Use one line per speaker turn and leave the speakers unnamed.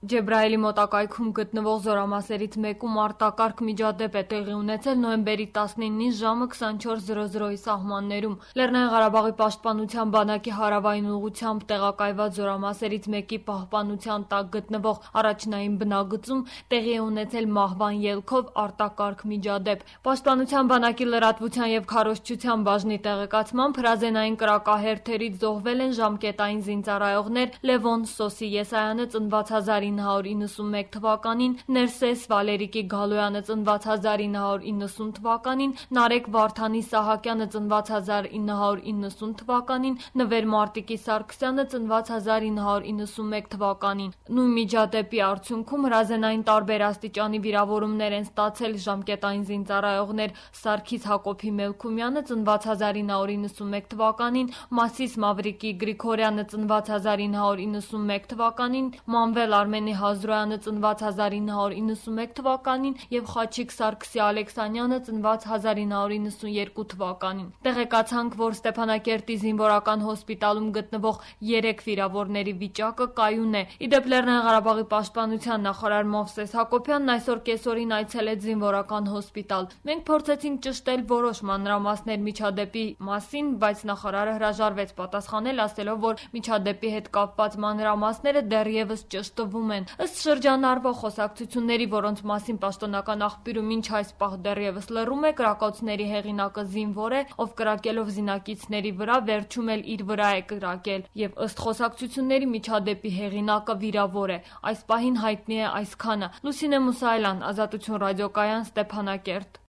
Ջեբրայելի մոտակայքում գտնվող զորամասերից մեկում արտակարգ միջադեպ է տեղի ունեցել նոյեմբերի 19-ին ժամը 24:00-ի սահմաններում։ Լեռնային Ղարաբաղի պաշտպանության բանակի հարավային ուղղությամբ տեղակայված զորամասերից մեկի պահպանության տակ գտնվող առաջնային բնագծում տեղի է ունեցել մահվան ելքով արտակարգ միջադեպ։ Պաշտպանության բանակի լրատվության եւ քարոզչության բաժնի տեղեկացմամբ հրազենային կրակահերթերից զոհվել են ժամկետային զինծառայողներ Լևոն Սոսի Եսայանը ծնված 1991 թվականին, Ներսես Վալերիկի Գալոյանը ծնված 1990 թվականին, Նարեկ Վարդանի Սահակյանը ծնված 1990 թվականին, Նվեր Մարտիկի Սարգսյանը ծնված 1991 թվականին։ Նույն միջադեպի արդյունքում հրազենային տարբեր աստիճանի վիրավորումներ են ստացել ժամկետային զինծառայողներ Սարգիս Հակոբի Մելքումյանը ծնված 1991 թվականին, Մասիս Մավրիկի Գրիգորյանը ծնված 1991 թվականին, Մանվել Արմենի Հազրոյանը ծնված 1991 թվականին եւ Խաչիկ Սարգսի Ալեքսանյանը ծնված 1992 թվականին։ Տեղեկացանք, որ Ստեփանակերտի զինվորական հոսպիտալում գտնվող 3 վիրավորների վիճակը կայուն է։ Իդեպ Լեռնային Ղարաբաղի պաշտպանության նախարար Մովսես Հակոբյանն այսօր կեսօրին այցելեց զինվորական հոսպիտալ։ Մենք փորձեցինք ճշտել որոշ մանրամասներ միջադեպի մասին, բայց նախարարը հրաժարվեց պատասխանել, ասելով, որ միջադեպի հետ կապված մանրամասները դեռևս ճշտվում են։ Ըստ շրջանառվող խոսակցությունների, որոնց մասին պաշտոնական աղբյուրը մինչ այս պահ դեռևս լռում է, կրակոցների հեղինակը զինվոր է, ով կրակելով զինակիցների վրա վերջում էլ իր վրա է կրակել, եւ ըստ խոսակցությունների միջադեպի հեղինակը վիրավոր է։ Այս պահին հայտնի է այսքանը։ Լուսինե Մուսայելյան, Ազատություն ռադիոկայան, Ստեփանակերտ։